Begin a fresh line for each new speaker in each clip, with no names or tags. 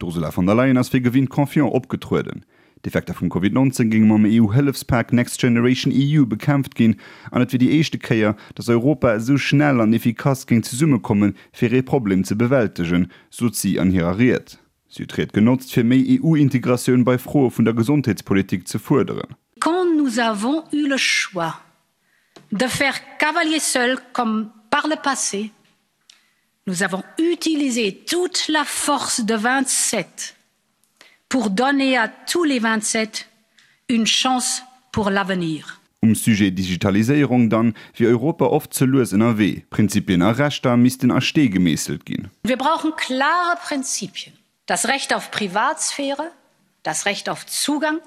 D'Ursula von der Leyen ass wéi gewinnt confiant opgetrueden. D'Effekter vum Covid 19 géinge mam EU-Hëllefspak Next Generation EU bekämpft ginn an et wier déi éischte Kéier, datt Europa esou schnell an efficace géing zesummekommen, fir ee Problem ze bewältegen, sot si an hirer Ried. Si huet d'Ried genotzt, fir méi EU-Integratioun bei Froe vun der Gesondheetspolitik ze fuerderen.
Quand nous avons eu le choix de faire cavalier seul comme par le passé, nous avons utilisé toute la force de 27 pour donner à tous les 27 une chance pour l'avenir.
Um Sujet Digitaliséierung dann wier Europa oft ze lues ënnerwee. Prinzipien a Rechter missten a Stee gemeesselt ginn.
Wir brauchen klare Prinzipien, das Recht auf Privatsphäre, das Recht auf Zugang,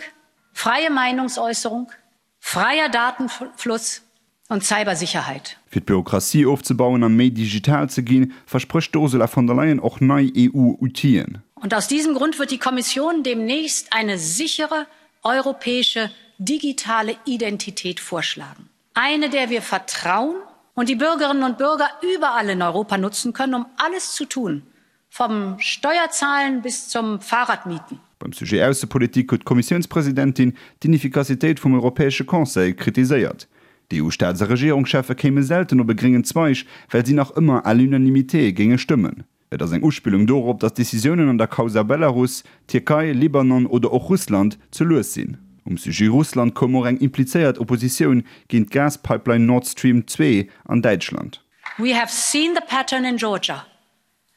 freie Meinungsäußerung, freier Datenfluss und Cybersicherheit.
Fir d'Bürokratie ofzebauen a méi digital ze ginn, versprécht d'Ursula von der Leyen och nei EU-Outile.
Und aus diesem Grund wird die Kommission demnächst eine sichere europäische digitale Identität vorschlagen. Eine, der wir vertrauen und die Bürgerinnen und Bürger überall in Europa nutzen können, um alles zu tun, vom Steuerzahlen bis zum Fahrradmieten.
Beim Sujet Aussepolitik huet d'Kommissiounspresidentin d'Ineffikassitéit vum Europäesche Conseil kritiséiert. D'EU-Staats a Regierungscheffe kéime selten op e gréngen Zweig, well si nach ëmmer à l'unanimité géinge stëmmen. Et ass eng Uspillung dorop, datt Decisiounen an der Causa Belarus, Tierkei, Libanon oder och Russland ze lues sinn. Um Sujet Russland koum och eng implizéiert Oppositioun géint d'Gaspipeline Nord Stream 2 an Däitschland.
We have seen the pattern in Georgia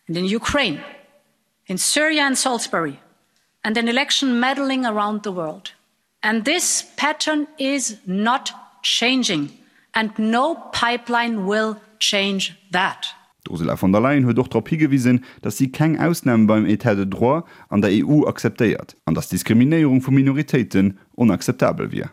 and in Ukraine, in Syria and Salisbury and in election meddling around the world. And this pattern is not changing and no pipeline will change that.
D'Ursula von der Leyen huet och drop higewisen, datt si keng Ausname beim Etat de droit an der EU akzeptéiert an datt d'Diskriminéierung vu Minoritéiten onakzeptabel wier.